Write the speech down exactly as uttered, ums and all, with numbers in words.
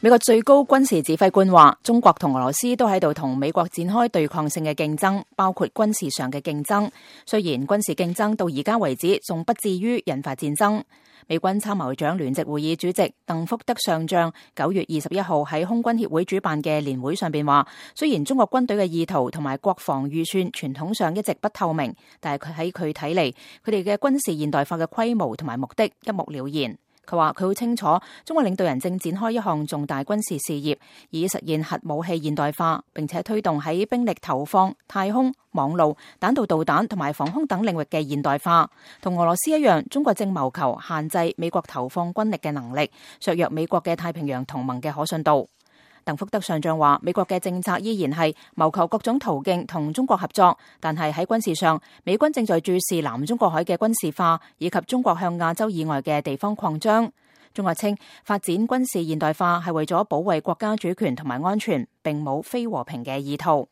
美國最高軍事指揮官話，中國同俄羅斯都喺度同美國展開對抗性嘅競爭，包括軍事上嘅競爭。雖然軍事競爭到而家為止仲不至於引發戰爭。美軍參謀長聯席會議主席鄧福德上將九月二十一號喺空軍協會主辦嘅年會上邊話，雖然中國軍隊嘅意圖同埋國防預算傳統上一直不透明，但係佢喺佢睇嚟，佢哋嘅軍事現代化嘅規模同埋目的一目了然。佢話佢好清楚，中國領導人正展開一項重大軍事事業，以實現核武器現代化，並且推動喺兵力投放、太空、網路、彈道導彈同埋防空等領域嘅現代化。同俄羅斯一樣，中國正謀求限制美國投放軍力嘅能力，削弱美國嘅太平洋同盟嘅可信度。鄧福德上將話，美國嘅政策依然係謀求各種途徑同中國合作，但係喺軍事上，美軍正在注視南中國海嘅軍事化，以及中國向亞洲以外嘅地方擴張。中國稱發展軍事現代化係為咗保衛國家主權同埋安全，並冇非和平嘅意圖。